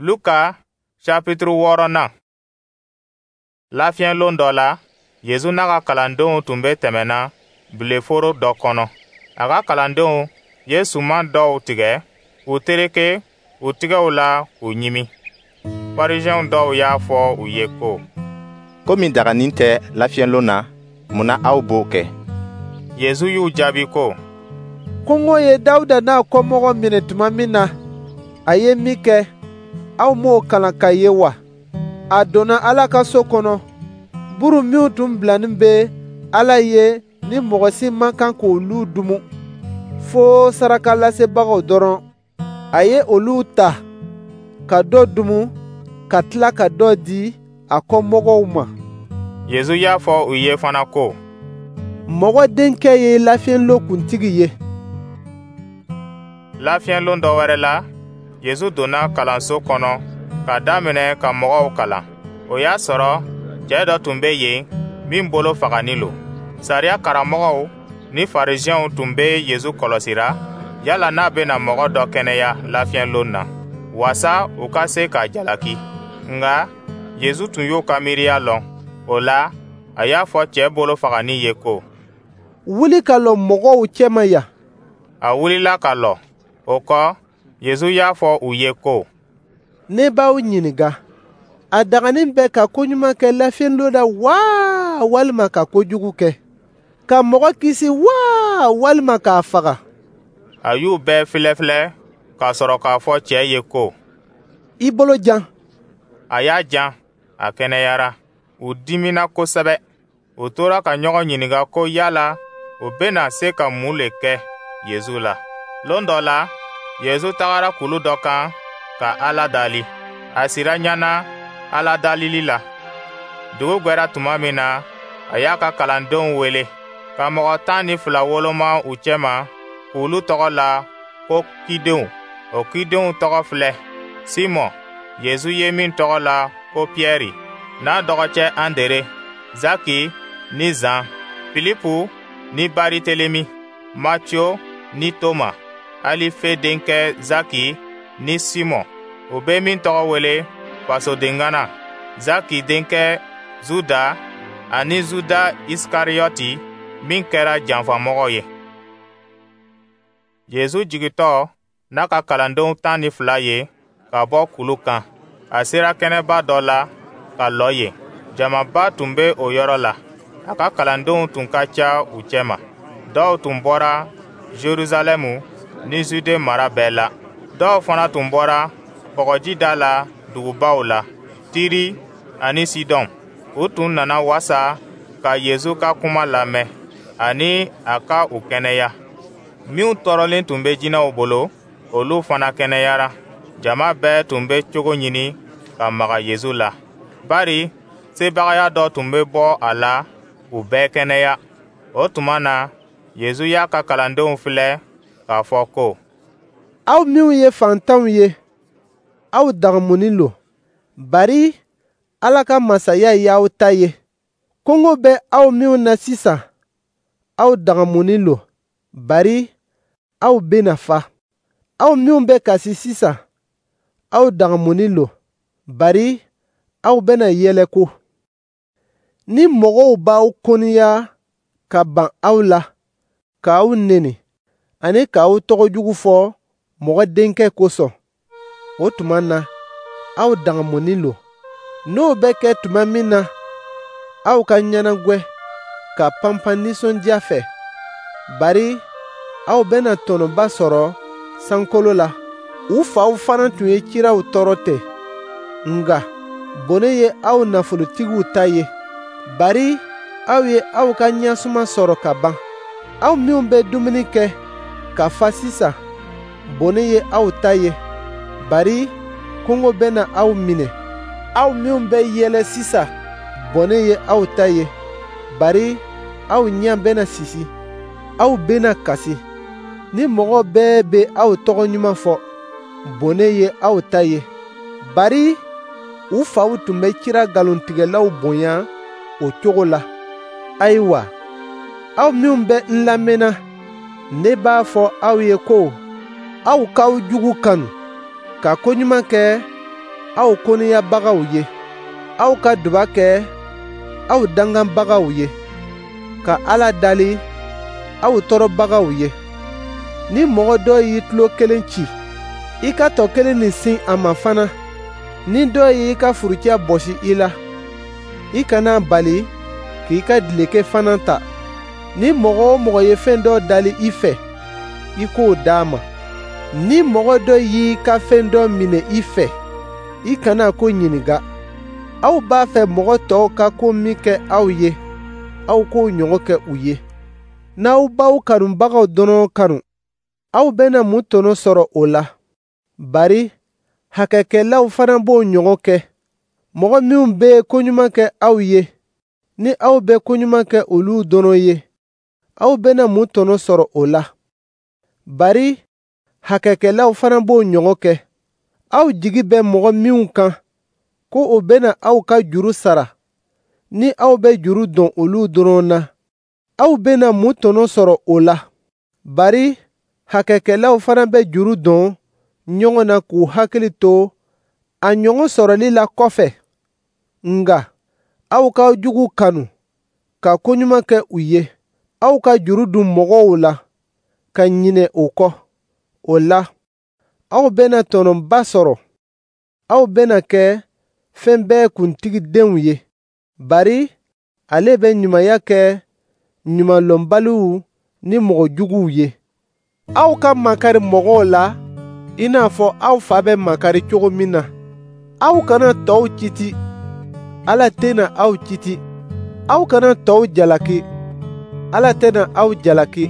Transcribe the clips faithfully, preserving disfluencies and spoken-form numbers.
Luka chapitre wɔɔrɔnan. Lafiɲɛlon dɔ la, Yezu n'a ka kalandenw tun bɛ tɛmɛna bileforo dɔ kɔnɔ. A ka kalandenw ye suman dɔw tigɛ k'u tereke u tɛgɛw la k'u ɲimi. Farisiɛn dɔw y'a fɔ u ye ko: «Ko min daganin tɛ lafiɲɛlon na, mun na aw b'o kɛ?» Yezu y'u jaabi ko: «Kɔngɔ ye Dawuda n'a kɔmɔgɔw minɛ tuma min na, a ye min kɛ, aw m'o kalan k'a ye wa? A donna Ala ka so kɔnɔ, buru minw tun bilanin bɛ Ala ye ni mɔgɔ si man kan k'olu dumu, fo sarakalasebagaw dɔrɔn. A ye olu ta ka dɔ dumu, ka tila ka dɔ di a kɔmɔgɔw ma.» Yezu y'a fɔ u ye fana ko: «Mɔgɔ Denkɛ ye lafiɲɛlon kuntigi ye.» Lafiɲɛlon dɔ wɛrɛ la, Yezu donna kalanso kɔnɔ ka daminɛ ka mɔgɔw kalan. O y'a sɔrɔ cɛɛ dɔ tun bɛ yen min bolo faganin lo. Sariya karamɔgɔw ni Farisiɛnw tun bɛ Yezu kɔlɔsira yala n'a bɛna mɔgɔ dɔ kɛnɛya lafiɲɛlon na, waasa u ka se k'a jalaki. Nka Yezu tun y'u ka miiriya lɔn. O la, a y'a fɔ cɛɛ bolo faganin ye ko: «Wuli ka lɔ mɔgɔw cɛma yan.» A wulila ka lɔ. O kɔ, Yezu y'a fɔ u ye ko: «Ne b'aw ɲininka, a daganin bɛ ka koɲuman kɛ lafiɲɛlon la wa, walima ka kojugu kɛ? Ka mɔgɔ kisi wa, walima k'a faga?» A y'u bɛɛ filɛfilɛ ka sɔrɔ k'a fɔ cɛɛ ye ko: «I bolo jan.» A y'a jan, a kɛnɛyara. U dimina kosɛbɛ. U tora ka ɲɔgɔn ɲininka ko yala u bɛna se ka mun le kɛ Yezu la. Lon dɔ la, Yezu tagara kulu dɔ kan ka Ala dali. A sira ɲɛna Ala dalili la. Dugu gwɛra tuma min na, a y'a ka kalandenw wele ka mɔgɔ tan ni fila woloma u cɛma k'olu tɔgɔ la ko cidenw. O cidenw tɔgɔ filɛ: Simɔn, Yezu ye min tɔgɔ la ko Piyɛri, n'a dɔgɔcɛ Andere, Zaki ni Zan, Filipu ni Baritelemi, Matiyo ni Toma, Alife denkɛ Zaki ni Simɔn, u bɛ min tɔgɔ wele fasodengana, Zaki denkɛ Zuda ani Zuda Isikariyɔti min kɛra janfamɔgɔ ye. Yezu jigintɔ n'a ka kalandenw tan ni fila ye ka bɔ kulu kan, a sera kɛnɛba dɔ la ka lɔ yen. Jamaba tun bɛ o yɔrɔ la. A ka kalandenw tun ka ca u cɛma. Dɔw tun bɔra Jerusalɛmu ni Zude mara bɛɛ la. Dɔw fana tun bɔra kɔgɔji da la dugubaw la, Tiri ani Sidɔn. U tun nana wasa ka Yezu ka kuma lamɛn ani a ka u kɛnɛya. Minw tɔɔrɔlen tun bɛ jinɛw bolo, olu fana kɛnɛyara. Jama bɛɛ tun bɛ cogo ɲini ka maga Yezu la, bari sebagaya dɔ tun bɛ bɔ a la k'u bɛɛ kɛnɛya. O tuma na, Yezu y'a ka kalandenw filɛ k'a fɔ ko: «Aw minw ye faantanw ye, aw dagamunin lo, bari Ala ka masaya y'aw ta ye. Kɔngɔ bɛ aw minw na sisan, aw dagamunin lo, bari aw bɛna fa. Aw minw bɛ kasi sisan, aw dagamunin lo, bari aw bɛna yɛlɛko. Ni mɔgɔw b'aw kɔniya ka ban aw la, k'aw neni, ani k'aw tɔgɔ jugu fɔ Mɔgɔ Denkɛ kosɔn, o tuma na, aw dagamunin lo. N'o bɛ kɛ tuma min na, aw ka ɲɛnagwɛ ka panpan nisɔndiya fɛ, bari aw bɛna tɔnɔba sɔrɔ sankolo la. U faw fana tun ye ciraw tɔɔrɔ ten. Nka bɔnɛ ye aw nafolotigiw ta ye, bari aw ye aw ka ɲɛsuma sɔrɔ ka ban. Aw minw bɛ dumuni kɛ ka fa sisan, bɔnɛ ye aw ta ye, bari kɔngɔ bɛna aw minɛ. Aw minw bɛ yɛlɛ sisan, bɔnɛ ye aw ta ye, bari aw ɲɛ bɛna sisi. Aw bɛna kasi. Ni mɔgɔ bɛɛ bɛ aw tɔgɔ ɲuman fɔ, bɔnɛ ye aw ta ye, bari u faw tun bɛ cira nkalontigɛlaw bonya o cogo la. Ayiwa, aw minw bɛ n lamɛnna, ne b'a fɔ aw ye ko aw k'aw jugu kanu, ka koɲuman kɛ aw koniyabagaw ye. Aw ka duba kɛ aw danganbagaw ye, ka Ala dali aw tɔɔrɔbagaw ye. Ni mɔgɔ dɔ y'i tulo kelen ci, i ka tɔ kelen nin sin a ma fana. Ni dɔ y'i ka furucɛ bɔsi i la, i kana bali k'i ka dileke fana ta. Ni mɔgɔ o mɔgɔ ye fɛn dɔ dali i fɛ, i k'o d'a ma. Ni mɔgɔ dɔ y'i ka fɛn dɔ minɛ i fɛ, i kana ko ɲininka. Aw b'a fɛ mɔgɔ tɔw ka ko min kɛ aw ye, aw k'o ɲɔgɔn kɛ u ye. N'aw b'aw kanubagaw dɔrɔn kanu, aw bɛna mun tɔnɔ sɔrɔ o la? Bari hakɛkɛlaw fana b'o ɲɔgɔn kɛ. Mɔgɔ minw bɛ koɲuman kɛ aw ye, ni aw bɛ koɲuman kɛ olu dɔrɔn ye, aw bɛna mun tɔnɔ sɔrɔ o la? Bari hakɛkɛlaw fana b'o ɲɔgɔn kɛ. Aw jigi bɛ mɔgɔ minw kan ko o bɛna aw ka juru sara, ni aw bɛ juru don olu dɔrɔn na, aw bɛna mun tɔnɔ sɔrɔ o la? Bari hakɛkɛlaw fana bɛ juru don ɲɔgɔn na k'u hakili to a ɲɔgɔn sɔrɔli la kɔfɛ. Nka aw k'aw jugu kanu, ka koɲuman kɛ u ye. Aw ka juru dun mɔgɔw la, ka ɲinɛ o kɔ. O la, aw bɛna tɔnɔba sɔrɔ. Aw bɛna kɛ fɛn bɛɛ kuntigi denw ye. Bari ale bɛ ɲumanya kɛ ɲumanlɔnbaliw ni mɔgɔ juguw ye. Aw ka makari mɔgɔw la i n'a fɔ aw fa bɛ makari cogo min na. Aw kana tɔw citi, Ala tɛna aw citi. Aw kana tɔw jalaki, Ala tɛna aw jalaki.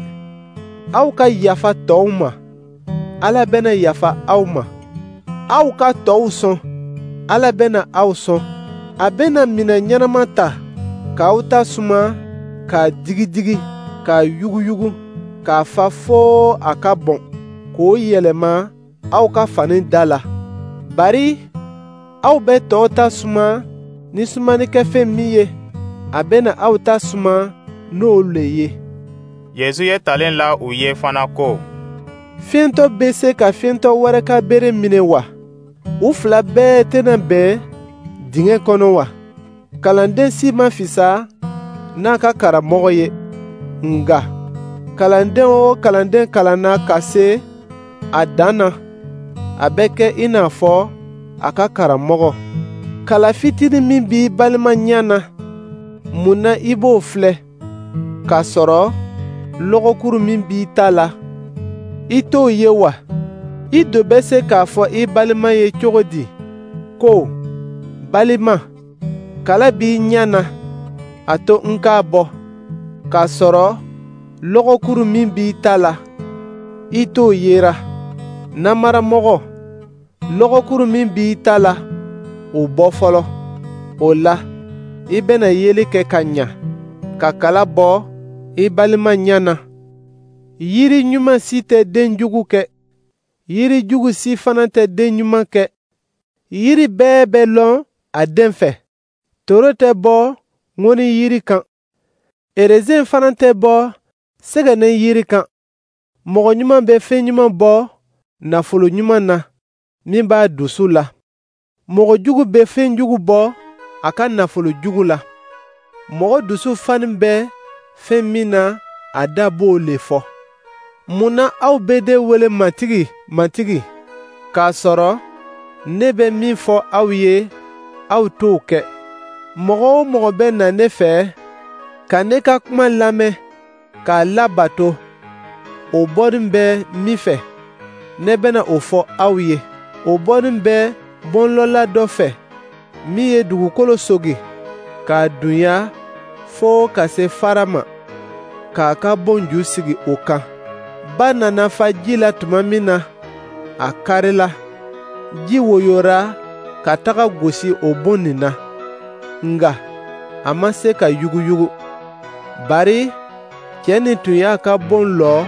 Aw ka yafa tɔw ma, Ala bɛna yafa aw ma. Aw ka tɔw sɔn, Ala bɛna aw sɔn. A bɛna minɛn ɲɛnama ta k'aw ta suma, k'a digidigi, k'a yuguyugu, k'a fa fo a ka bɔn, k'o yɛlɛma aw ka fani da la. Bari aw bɛ tɔw ta suma ni sumanikɛfɛn min ye, a bɛna aw ta suma n'o le ye. Yezu ye talen la u ye fana ko: Fiyentɔ bɛ se ka fiyentɔ wɛrɛ ka bere minɛ wa? U fila bɛɛ tɛna bɛn dingɛ kɔnɔ wa? Kalanden si ma fisa n'a ka karamɔgɔ ye. Nka kalanden o kalanden kalanna ka se a dan na, a bɛ kɛ i n'a fɔ a ka karamɔgɔ. Kala fitinin min b'i balima ɲɛ na, mun na i b'o filɛ, k'a sɔrɔ lɔgɔkuru min b'i ta la, i t'o ye wa? I do bɛ se k'a fɔ i balima ye cogo di ko: Balima, kala b'i ɲɛ na, a to n k'a bɔ, k'a sɔrɔ lɔgɔkuru min b'i ta la, i t'o yera. Namaramɔgɔ, lɔgɔkuru min b'i ta la, o bɔ fɔlɔ. O la, i bɛna yeli kɛ ka ɲa, ka kala bɔ i balima ɲɛ na. Yiri ɲuman si tɛ den jugu kɛ, yiri jugu si fana tɛ den ɲuman kɛ. Yiri bɛɛ bɛ lɔn a den fɛ. Toro tɛ bɔ ŋɔni yiri kan, erezen fana tɛ bɔ sɛgɛnɛ yiri kan. Mɔgɔ ɲuman bɛ fɛn ɲuman bɔ nafolo ɲuman na min b'a dusu la. Mɔgɔ jugu bɛ fɛn jugu bɔ a ka nafolo jugu la. Mɔgɔ dusu fani bɛ fɛn min na, a da b'o le fɔ. Mun na aw bɛ ne wele Matigi, Matigi, k'a sɔrɔ ne bɛ min fɔ aw ye, aw t'o kɛ? Mɔgɔ o mɔgɔ bɛ na ne fɛ ka ne ka kuma lamɛn k'a labato, o bɔnin bɛ min fɛ, ne bɛna o fɔ aw ye. O bɔnin bɛ bɔnlɔla dɔ fɛ min ye dugukolo sogi k'a dunya fo ka se fara ma, k'a ka bon ju sigi o kan. Ba nana fa ji la tuma min na, a karila. Ji woyora ka taga gosi o bon nin na, nka a ma se ka yuguyugu. Bari cɛ nin tun y'a ka bon lɔ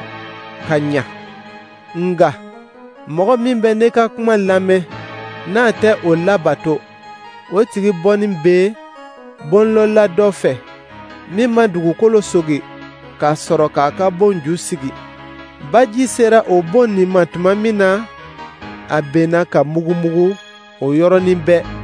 ka ɲa. Nka mɔgɔ min bɛ ne ka kuma lamɛn n'a tɛ o labato, o tigi bɔnin bɛ bonlɔla dɔ fɛ min ma dugukolo sogi k'a sɔrɔ k'a ka bon ju sigi. Baji sera o bon nin ma tuma min na, a benna ka mugumugu o yɔrɔnin bɛɛ.